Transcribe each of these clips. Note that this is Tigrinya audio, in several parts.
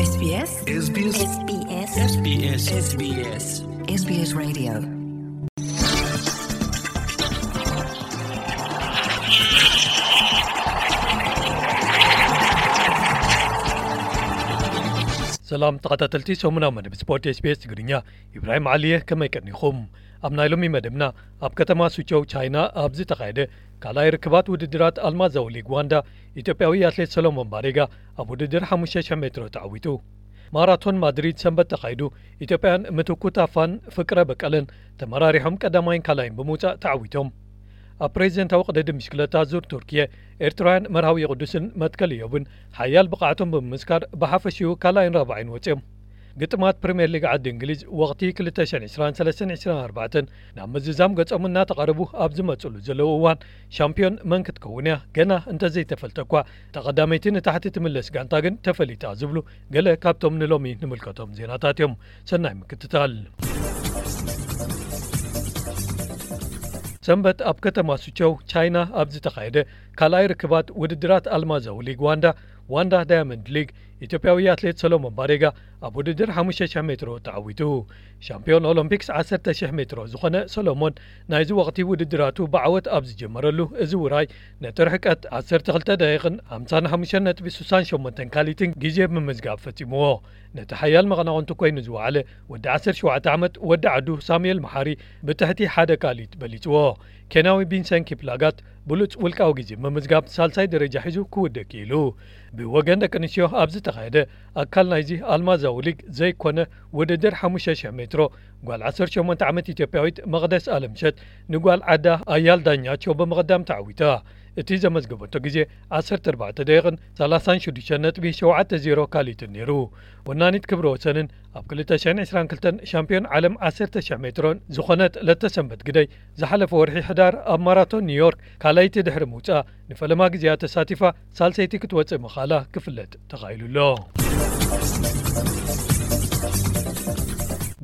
SBS SBS SBS SBS SBS Radio. ሰላም ተኸታተልቲ ሰሙናዊ መደብ ስፖርት SBS ትግርኛ፣ ኢብራሂም ዓሊየ፣ ከመይ ቀኒኹም? ኣብ ናይ ሎሚ መደብና፣ ኣብ ከተማ ሱቸው ቻይና ኣብ ዝተኻየደ ካልኣይ ርክባት ውድድራት ኣልማዛዊ ሊግ ዋንዳ፣ ኢትዮጵያዊ ኣትሌት ሰሎሞን ባሬጋ ኣብ ውድድር ሓሙሽተ ሽሕ ሜትሮ ተዓዊቱ። ማራቶን ማድሪድ ሰንበት ተኻይዱ፣ ኢትዮጵያን ምትኩ ታፋን ፍቅረ በቀለን ተመራሪሖም ቀዳማይን ካልኣይን ብምውጻእ ተዓዊቶም። ኣብ ፕሬዚደንታዊ ቅድድም ብሽክለታ ዙር ቱርኪየ፣ ኤርትራውያን መርሃዊ ቅዱስን መትከል እዮብን ሓያል ብቕዓቶም ብምምስካር ብሓፈሽኡ ካልኣይን ራብዓይን ወጺኦም። ግጥማት ፕሪምየር ሊግ ዓዲ እንግሊዝ ወቕቲ ክልተ ሽሕን ዕስራን ሰለስተን ዕስራን ኣርባዕተን ናብ ምዝዛም ገጾም እናተቓረቡ ኣብ ዝመጽሉ ዘለዉ እዋን፣ ሻምፒዮን መን ክትከውን እያ ገና እንተዘይተፈልጠ እኳ፣ እታ ቀዳመይቲ ንታሕቲ ትምለስ ጋንታ ግን ተፈሊጣ ዝብሉ ገለ ካብቶም ንሎሚ ንምልከቶም ዜናታት እዮም። ሰናይ ምክትታል። ሰንበት ኣብ ከተማ ሱቸው ቻይና ኣብ ዝተኻየደ ካልኣይ ርክባት ውድድራት ኣልማዛዊ ሊግ ዋንዳ፣ ዋንዳ ዳያመንድ ሊግ፣ ኢትዮጵያዊ ኣትሌት ሰሎሞን ባሬጋ ኣብ ውድድር ሓሙሽተ ሽሕ ሜትሮ ተዓዊቱ። ሻምፒዮን ኦሎምፒክስ ዓሰርተ ሽሕ ሜትሮ ዝኾነ ሰሎሞን፣ ናይዚ ወቕቲ ውድድራቱ ብዓወት ኣብ ዝጀመረሉ እዚ ውራይ፣ ነቲ ርሕቀት ዓሰርተ ክልተ ደቂቕን ሓምሳን ሓሙሽተ ነጥቢ ስሳን ሸሞንተን ካሊትን ግዜ ብምምዝጋብ ፈጺምዎ። ነቲ ሓያል መቐናቕንቱ ኮይኑ ዝወዓለ ወዲ ዓሰርተ ሸውዓተ ዓመት ወዲ ዓዱ ሳሙኤል መሓሪ ብትሕቲ ሓደ ካሊት በሊጽዎ። ኬንያዊ ቢንሰን ኪፕላጋት ብሉጽ ውልቃዊ ግዜ ብምምዝጋብ ሳልሳይ ደረጃ ሒዙ ክውድእ ክኢሉ። ብወገን ደቂ ኣንስትዮ ኣብ ዝተኻየደ ኣካል ናይዚ ኣልማዛዊ ሊግ ዘይኮነ ውድድር ሓሙሽተ ሽሕ ሜትሮ፣ ጓል ዓሰርተ ሸሞንተ ዓመት ኢትዮጵያዊት መቕደስ ኣለምሸት ንጓል ዓዳ ኣያል ዳኛቸው ብምቕዳም ተዓዊታ። እቲ ዘመዝገበቶ ግዜ ዓሰርተ ኣርባዕተ ደቂቕን ሰላሳን ሽዱሽተ ነጥቢ ሸውዓተ ዜሮ ካሊትን ነይሩ። ወናኒት ክብረ ወሰንን ኣብ ክልተ ሽሕን ዕስራን ክልተን ሻምፒዮን ዓለም ዓሰርተ ሽሕ ሜትሮን ዝኾነት ለተሰንበት ግደይ፣ ዝሓለፈ ወርሒ ሕዳር ኣብ ማራቶን ኒውዮርክ ካልኣይቲ ድሕሪ ምውጻኣ፣ ንፈለማ ግዜኣ ተሳቲፋ ሳልሰይቲ ክትወጽእ ምኽኣላ ክፍለጥ ተኻኢሉ ኣሎ።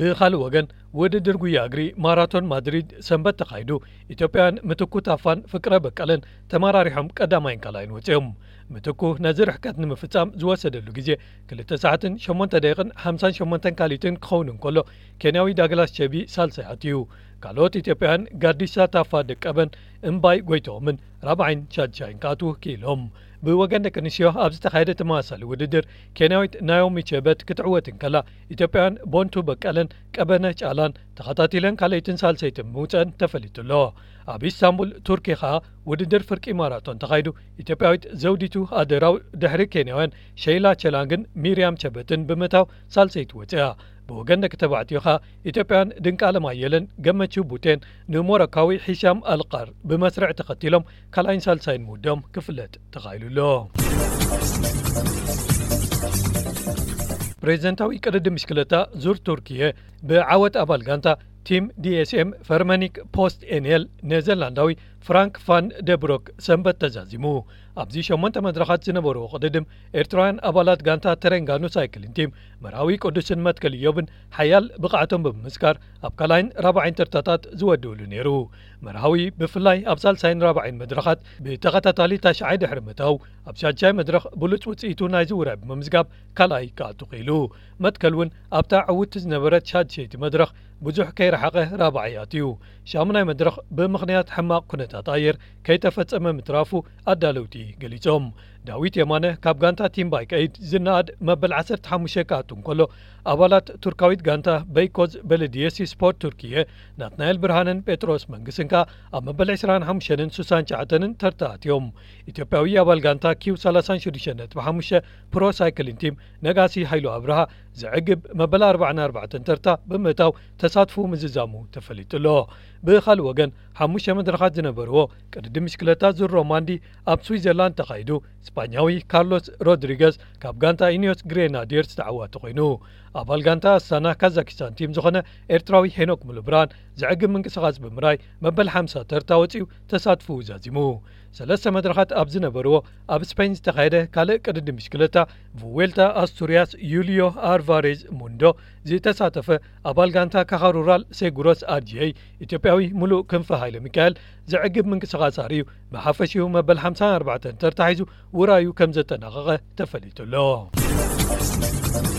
ብኻልእ ወገን፣ ውድድር ጉያ እግሪ ማራቶን ማድሪድ ሰንበት ተኻይዱ፣ ኢትዮጵያውያን ምትኩ ታፋን ፍቅረ በቀለን ተመራሪሖም ቀዳማይን ካልኣይን ወጺኦም። ምትኩ ነዚ ርሕቀት ንምፍጻም ዝወሰደሉ ግዜ ክልተ ሰዓትን ሸሞንተ ደቂቕን ሓምሳን ሸሞንተን ካሊትን ክኸውን እንከሎ፣ ኬንያዊ ዳግላስ ቸቢ ሳልሳይ ኣትዩ። ካልኦት ኢትዮጵያውያን ጋዲሳ ታፋ ደቀበን እምባይ ጎይቶምን ራብዓይን ሻድሻይን ክኣትዉ ክኢሎም። ብወገን ደቂ ኣንስትዮ ኣብ ዝተኻየደ ተመሳሳሊ ውድድር፣ ኬንያዊት ናዮሚ ቸበት ክትዕወት እንከላ፣ ኢትዮጵያውያን ቦንቱ በቀለን ቀበነ ጫላን ተኸታቲለን ካልኣይትን ሳልሰይትን ምውፀአን ተፈሊጡ ኣሎ። ኣብ ኢስታንቡል ቱርኪ ኸኣ ውድድር ፍርቂ ማራቶን ተኻይዱ፣ ኢትዮጵያዊት ዘውዲቱ ኣደራው ድሕሪ ኬንያውያን ሸይላ ቸላንግን ሚርያም ቸበትን ብምእታው ሳልሰይቲ ወፂኣ። ብወገን ደቂ ተባዕትዮ ኸኣ ኢትዮጵያውያን ድንቃለም ኣየለን ገመቹ ቡቴን ንሞሮካዊ ሂሻም ኣልቃር ብመስርዕ ተኸቲሎም ካልኣይን ሳልሳይን ምውድኦም ክፍለጥ ተኻኢሉ ኣሎ። ፕሬዚደንታዊ ቅድድም ብሽክለታ ዙር ቱርኪየ ብዓወት ኣባል ጋንታ ቲም ዲ ኤስ ኤም ፈርመኒክ ፖስት ኤንኤል ኔዘርላንዳዊ ፍራንክ ፋን ደብሮክ ሰንበት ተዛዚሙ። ኣብዚ ሸሞንተ መድረኻት ዝነበርዎ ቅድድም ኤርትራውያን ኣባላት ጋንታ ተረንጋኑ ሳይክሊን ቲም መርሃዊ ቅዱስን መትከል ኢዮብን ሓያል ብቕዓቶም ብምምስካር ኣብ ካልኣይን ራብዓይን ተርታታት ዝወድእሉ ነይሩ። መርሃዊ ብፍላይ ኣብ ሳልሳይን ራብዓይን መድረኻት ብተኸታታሊ ታሽዓይ ድሕሪ ምእታው፣ ኣብ ሻድሻይ መድረኽ ብሉጽ ውጽኢቱ ናይዚ ውራይ ብምምዝጋብ ካልኣይ ክኣቱ ክኢሉ። መትከል እውን ኣብታ ዕውትቲ ዝነበረት ሻድሸይቲ መድረኽ ብዙሕ ከይረሓቐ ራብዓይ ኣትዩ። ሻሙናይ መድረኽ ብምኽንያት ሕማቕ ኩነታት ኣየር ከይተፈጸመ ምትራፉ ኣዳለውቲ ገሊጾም። ዳዊት የማነ ካብ ጋንታ ቲም ባይክ ኤይድ ዝነኣድ መበል ዓሰርተ ሓሙሽተ ክኣቱ እንከሎ፣ ኣባላት ቱርካዊት ጋንታ በይኮዝ በለድየሲ ስፖርት ቱርኪየ ናትናኤል ብርሃንን ጴጥሮስ መንግስን ከኣ ኣብ መበል ዕስራን ሓሙሽተን ስሳን ትሽዓተን ተርታ ኣትዮም። ኢትዮጵያዊ ኣባል ጋንታ ኪው ሰላሳን ሽዱሽተን ነጥቢ ሓሙሽተ ፕሮ ሳይክሊን ቲም ነጋሲ ሃይሉ ኣብርሃ ዘዕግብ መበል ኣርባዓን ኣርባዕተን ተርታ ብምእታው ተሳትፎ ምዝዛሙ ተፈሊጡ ኣሎ። ብኻልእ ወገን፣ ሓሙሽተ መድረኻት ዝነበርዎ ቅድድም ብሽክለታ ዙር ሮማንዲ ኣብ ስዊዘርላንድ ተኻይዱ፣ ስፓኛዊ ካርሎስ ሮድሪገዝ ካብ ጋንታ ኢኒዮስ ግሬናዲየርስ ተዓዋቲ ኮይኑ፣ ኣባል ጋንታ ኣስታና ካዛኪስታን ቲም ዝኾነ ኤርትራዊ ሄኖክ ሙሉብርሃን ዘዕግብ ምንቅስቓስ ብምርኣይ መበል ሓምሳ ተርታ ወጺኡ ተሳትፎኡ ዛዚሙ። ሰለስተ መድረኻት ኣብ ዝነበርዎ ኣብ ስፔን ዝተኻየደ ካልእ ቅድድም ብሽክለታ ቩዌልታ ኣስቱርያስ ዩልዮ ኣልቫሬዝ ሙንዶ ዝተሳተፈ ኣባል ጋንታ ካኻ ሩራል ሴጉሮስ ኣርጂኤይ ኢትዮጵያዊ ሙሉእ ክንፈ ሃይለ ሚካኤል ዘዕግብ ምንቅስቓስ ኣርእዩ ብሓፈሽኡ መበል ሓምሳን ኣርባዕተን ተርታ ሒዙ ውራዩ ከም ዘጠናቐቐ ተፈሊጡ ኣሎ።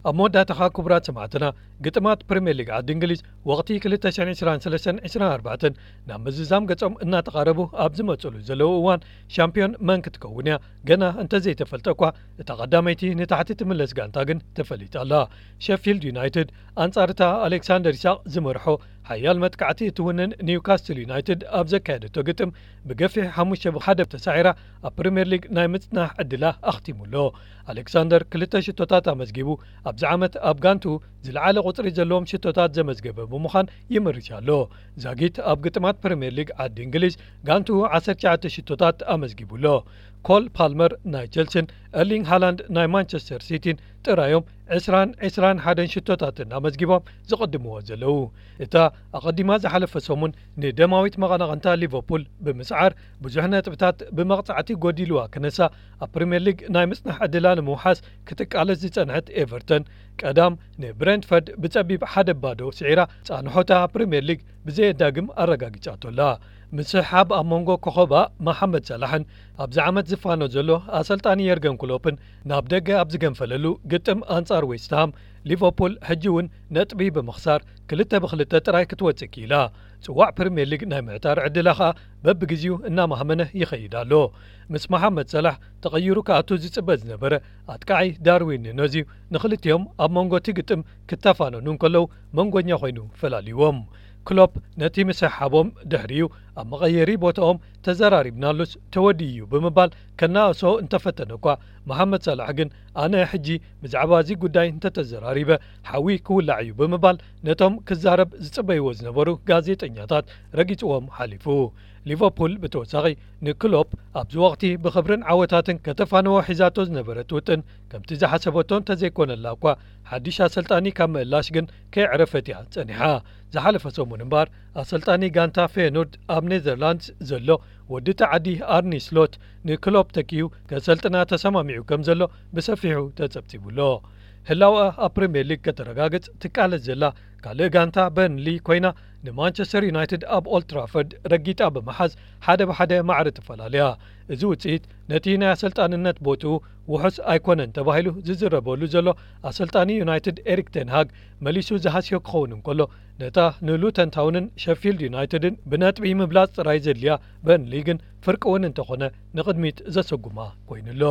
ኣብ መወዳእታ ኸኣ ክቡራት ሰማዕትና፣ ግጥማት ፕሪምየር ሊግ ዓዲ እንግሊዝ ወቕቲ ክልተ ሽሕን ዕስራን ሰለስተን ዕስራን ኣርባዕተን ናብ ምዝዛም ገጾም እናተቓረቡ ኣብ ዝመጽሉ ዘለዉ እዋን፣ ሻምፒዮን መን ክትከውን እያ ገና እንተዘይተፈልጠ እኳ፣ እታ ቀዳመይቲ ንታሕቲ ትምለስ ጋንታ ግን ተፈሊጣ ኣላ። ሸፊልድ ዩናይትድ ኣንጻር እታ ኣሌክሳንደር ኢሳቕ ዝመርሖ ሓያል መጥቃዕቲ እትውንን ኒውካስትል ዩናይትድ ኣብ ዘካየደቶ ግጥም ብገፊሕ ሓሙሽተ ብ ሓደ ተሳዒራ ኣብ ፕሪምየር ሊግ ናይ ምጽናሕ ዕድላ ኣኽቲሙ ኣሎ። ኣሌክሳንደር ክልተ ሽቶታት ኣመዝጊቡ፣ ኣብዚ ዓመት ኣብ ጋንቱ ዝለዓለ ቁጽሪ ዘለዎም ሽቶታት ዘመዝገበ ብምዃን ይምርሽ ኣሎ። ዛጊት ኣብ ግጥማት ፕሪምየር ሊግ ዓዲ እንግሊዝ ጋንቱ ዓሰርተ ትሽዓተ ሽቶታት ኣመዝጊቡ ኣሎ። ኮል ፓልመር ናይ ቸልሲን ኤርሊንግ ሃላንድ ናይ ማንቸስተር ሲቲን ጥራዮም ዕስራን ዕስራን ሓደን ሽቶታትን ኣመዝጊቦም ዝቕድምዎ ዘለዉ። እታ ኣቐዲማ ዝሓለፈ ሰሙን ንደማዊት መቐናቕንታ ሊቨርፑል ብምስዓር ብዙሕ ነጥብታት ብመቕጻዕቲ ጎዲልዋ ክነሳ ኣብ ፕሪምየር ሊግ ናይ ምጽናሕ ዕድላ ንምውሓስ ክትቃለስ ዝጸንሐት ኤቨርተን ቀዳም ንብሬንትፈርድ ብጸቢብ ሓደ ባዶ ስዒራ ጻንሖታ ፕሪምየር ሊግ ብዘየዳግም ኣረጋጊጻቶ ኣላ። ምስሕሓብ ኣብ መንጎ ኮኸባ መሓመድ ሳላሕን ኣብዚ ዓመት ዝፋኖ ዘሎ ኣሰልጣኒ የርገን ክሎፕን ናብ ደገ ኣብ ዝገንፈለሉ ግጥም ኣንጻር ዌስትሃም፣ ሊቨርፑል ሕጂ እውን ነጥቢ ብምኽሳር ክልተ ብክልተ ጥራይ ክትወጽእ ክኢላ። ጽዋዕ ፕሪምየር ሊግ ናይ ምዕታር ዕድላ ኸኣ በብግዜኡ እናማህመነ ይኸይድ ኣሎ። ምስ መሓመድ ሳላሕ ተቐይሩ ክኣቱ ዝጽበ ዝነበረ ኣጥቃዒ ዳርዊን ኑኔዝ እዩ ንኽልቲኦም ኣብ መንጎ እቲ ግጥም ክተፋነኑ እንከለዉ መንጎኛ ኮይኑ ፈላልይዎም። ክሎፕ ነቲ ምስሕሓቦም ድሕሪኡ ኣብ መቐየሪ ቦታኦም ተዘራሪብናሉስ ተወዲኡ እዩ ብምባል ከናእሶ እንተፈተነ እኳ፣ መሓመድ ሳላሕ ግን ኣነ ሕጂ ብዛዕባ እዚ ጉዳይ እንተተዘራሪበ ሓዊ ክውላዕ እዩ ብምባል ነቶም ክዛረብ ዝጽበይዎ ዝነበሩ ጋዜጠኛታት ረጊጽዎም ሓሊፉ። ሊቨርፑል ብተወሳኺ ንክሎፕ ኣብዚ ወቕቲ ብኽብርን ዓወታትን ከተፋንዎ ሒዛቶ ዝነበረት ውጥን ከምቲ ዝሓሰበቶ እንተዘይኮነላ እኳ፣ ሓድሽ ኣሰልጣኒ ካብ ምእላሽ ግን ከየዕረፈት እያ ጸኒሓ። ዝሓለፈ ሰሙን እምበኣር ኣሰልጣኒ ጋንታ ፌየኖርድ ኣብ ኔዘርላንድስ ዘሎ ወዲ እቲ ዓዲ ኣርኒ ስሎት ንክሎፕ ተኪኡ ከሰልጥና ተሰማሚዑ ከም ዘሎ ብሰፊሑ ተጸብጺቡ ኣሎ። ህላወኣ ኣብ ፕሪምየር ሊግ ከተረጋግጽ ትቃለስ ዘላ ካልእ ጋንታ በርንሊ ኮይና፣ ንማንቸስተር ዩናይትድ ኣብ ኦልድ ትራፎርድ ረጊጣ ብምሓዝ ሓደ ብሓደ ማዕረ ተፈላለያ። እዚ ውጽኢት ነቲ ናይ ኣሰልጣንነት ቦትኡ ውሑስ ኣይኮነን ተባሂሉ ዝዝረበሉ ዘሎ ኣሰልጣኒ ዩናይትድ ኤሪክ ቴን ሃግ መሊሱ ዝሃስዮ ክኸውን እንከሎ፣ ነታ ንሉተን ታውንን ሸፊልድ ዩናይትድን ብነጥቢ ምብላጽ ጥራይ ዘድልያ በርንሊ ግን ፍርቂ እውን እንተኾነ ንቕድሚት ዘሰጉማ ኮይኑ ኣሎ።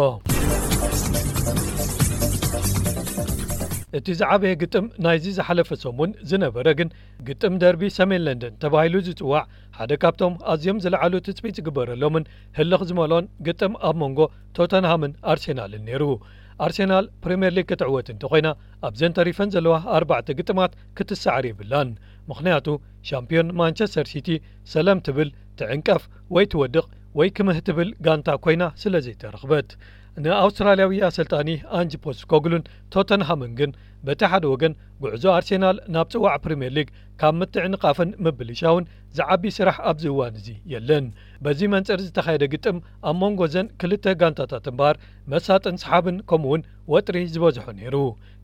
እቲ ዝዓበየ ግጥም ናይዚ ዝሓለፈ ሰሙን ዝነበረ ግን ግጥም ደርቢ ሰሜን ለንደን ተባሂሉ ዝጽዋዕ ሓደ ካብቶም ኣዝዮም ዝለዓሉ ትጽቢት ዝግበረሎምን ህልኽ ዝመልኦን ግጥም ኣብ መንጎ ቶተንሃምን ኣርሴናልን ነይሩ። ኣርሴናል ፕሪምየር ሊግ ክትዕወት እንተኾይና ኣብዘን ተሪፈን ዘለዋ ኣርባዕተ ግጥማት ክትሰዓር የብላን። ምኽንያቱ ሻምፒዮን ማንቸስተር ሲቲ ሰለም ትብል፣ ትዕንቀፍ ወይ ትወድቕ ወይ ክምህ ትብል ጋንታ ኮይና ስለ ዘይተረኽበት። ንኣውስትራልያዊ ኣሰልጣኒ ኣንጅ ፖስኮግሉን ቶተንሃምን ግን በቲ ሓደ ወገን ጉዕዞ ኣርሴናል ናብ ጽዋዕ ፕሪምየር ሊግ ካብ ምትዕንቓፍን ምብልሻውን ዝዓቢ ስራሕ ኣብዚ እዋን እዚ የለን። በዚ መንጽር ዝተኻየደ ግጥም ኣብ መንጎ ዘን ክልተ ጋንታታት እምበኣር መሳጥን ሰሓብን ከምኡውን ወጥሪ ዝበዝሖ ነይሩ።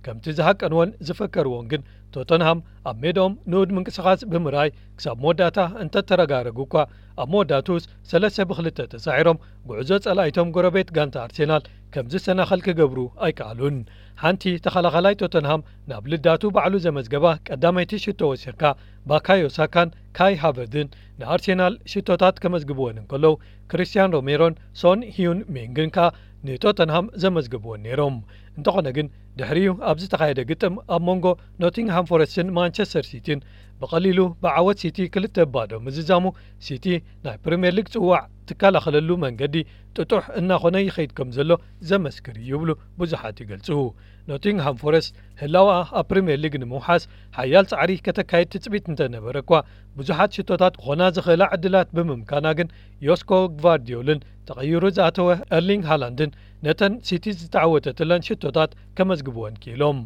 ከምቲ ዝሃቀንዎን ዝፈከርዎን ግን ቶተንሃም ኣብ ሜዳኦም ንኡድ ምንቅስቓስ ብምርኣይ ክሳብ መወዳእታ እንተተረጋረጉ እኳ ኣብ መወዳእትኡስ ሰለስተ ብክልተ ተሳዒሮም ጉዕዞ ጸላኢቶም ጎረቤት ጋንታ ኣርሴናል ከም ዝሰናኸል ክገብሩ ኣይከኣሉን። ሓንቲ ተኸላኻላይ ቶተንሃም ናብ ልዳቱ ባዕሉ ዘመዝገባ ቀዳመይቲ ሽቶ ወሲኽካ ባካዮ ሳካን ካይ ሃቨርድን ንኣርሴናል ሽቶታት ከመዝግብወን እንከለዉ፣ ክሪስቲያን ሮሜሮን ሶን ሂዩን ሚንግን ከኣ ንቶተንሃም ዘመዝግብወን ነይሮም። እንተኾነ ግን ድሕሪኡ ኣብ ዝተኻየደ ግጥም ኣብ መንጎ ኖቲንግሃም ፎረስትን ማንቸስተር ሲቲን ብቐሊሉ ብዓወት ሲቲ ክልተ ባዶ ምዝዛሙ፣ ሲቲ ናይ ፕሪምየር ሊግ ጽዋዕ ትከላኸለሉ መንገዲ ጥጡሕ እናኾነ ይኸይድ ከም ዘሎ ዘመስክር እዩ ይብሉ ብዙሓት ይገልጹ። ኖቲንግሃም ፎረስት ህላወኣ ኣብ ፕሪምየር ሊግ ንምውሓስ ሓያል ጻዕሪ ከተካይድ ትጽቢት እንተነበረ እኳ፣ ብዙሓት ሽቶታት ክኾና ዝኽእላ ዕድላት ብምምካና ግን ዮስኮ ግቫርዲዮልን ተቐይሩ ዝኣተወ ኤርሊንግ ሃላንድን ነተን ሲቲ ዝተዓወተትለን ሽቶታት ከመዝግብወን ክኢሎም።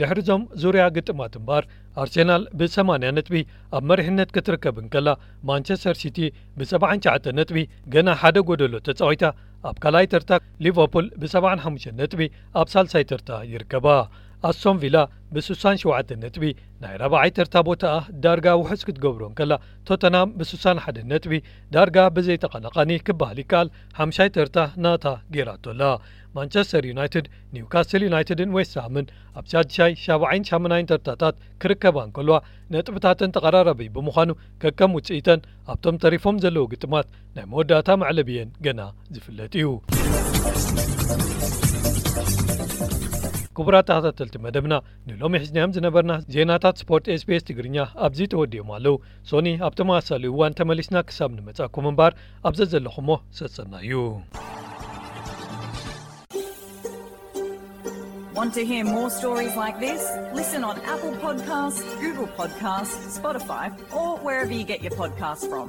ድሕሪ እዞም ዙርያ ግጥማት እምበኣር ኣርሴናል ብሰማንያ ነጥቢ ኣብ መሪሕነት ክትርከብ እንከላ፣ ማንቸስተር ሲቲ ብሰብዓን ትሽዓተን ነጥቢ ገና ሓደ ጎደሎ ተጻዊታ ኣብ ካልኣይ ተርታ፣ ሊቨርፑል ብሰብዓን ሓሙሽተን ነጥቢ ኣብ ሳልሳይ ተርታ ይርከባ። ኣስቶን ቪላ ብ67 ነጥቢ ናይ ራብዓይ ተርታ ቦታኣ ዳርጋ ውሑስ ክትገብሮ እንከላ፣ ቶተንሃም ብ61 ነጥቢ ዳርጋ ብዘይተቐናቓኒ ክበሃል ይከኣል ሓምሻይ ተርታ ናታ ገይራቶ ኣላ። ማንቸስተር ዩናይትድ፣ ኒውካስል ዩናይትድን ዌስትሃምን ኣብ ሳድሻይ፣ ሻብዓይን ሻምናይን ተርታታት ክርከባ እንከልዋ፣ ነጥብታተን ተቐራራቢ ብምዃኑ፣ ከከም ውጽኢተን ኣብቶም ተሪፎም ዘለዉ ግጥማት ናይ መወዳእታ መዕለቢየን ገና ዝፍለጥ እዩ። ክቡራት ተኸታተልቲ መደብና፣ ንሎሚ ሒዝናዮም ዝነበርና ዜናታት ስፖርት SBS ትግርኛ ኣብዚ ተወዲኦም ኣለዉ። ሶኒ ኣብ ተመሳሳሊ እዋን ተመሊስና ክሳብ ንመጻኩም እምበር፣ ኣብ ዘዘለኹሞ ሰሰና እዩ። Want to hear more stories like this? Listen on Apple Podcasts, Google Podcasts, Spotify, or wherever you get your podcasts from.